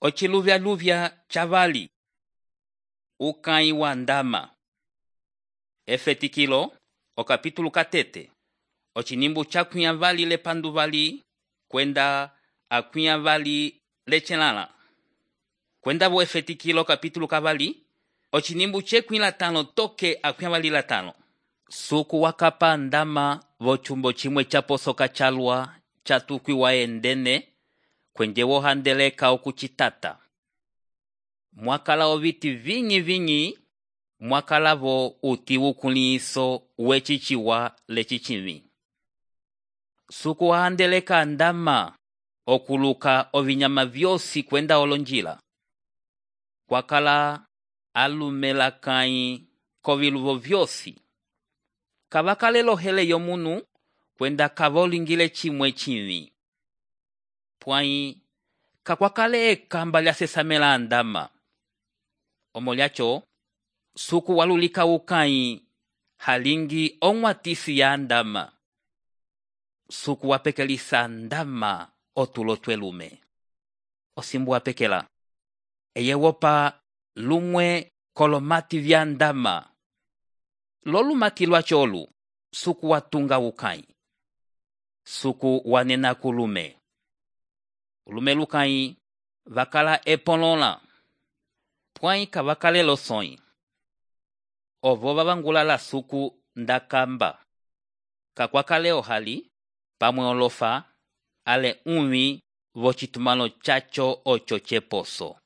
Ociluvyaluvya chavali. Ukãyi wa ndama. Efetikilo, okapítulo katete. Ocinimbu chakwĩa vali lepandu vali, kwenda akwĩa vali lechelala. Kwenda vo efetikilo kapítulo kavali, ocinimbu chekwĩ latano toke akwĩa vali latano. Suku wakapa ndama vo chumbo chimwe chaposoka chalwa chatukwiwa endene, kwenje wohandeleka okucitata. Mwakala oviti vinyi, mwakala vo uti ukulĩhiso wecichiwa lecichimi. Suku wahandeleka ndama okuluka ovinyama vyosi kwenda olonjila. Kwakala alumela kãyi koviluvo vyosi. Kavakalelo hele yomunu kwenda kavolingile chimwe chimi. Pwãyi kakwakale ekamba lyasesamela ndama. Omolyacho, suku walulika ukãyi halingi onwatisi ya ndama. Suku wapekelisa ndama otulo twelume. Osimbu wapekela. Eye wopa lumwe kolomati vya ndama. Lolumati lwacholu, suku watunga ukãyi. Suku wanena kulume. Ulume lukãyi vakala epolola. Pwãyi kavakale losõyi. Ovo vavangula la suku ndakamba. Kakwakale ohali, pamwe olofa, ale uvĩ vocitumalo chacho ocho cheposo.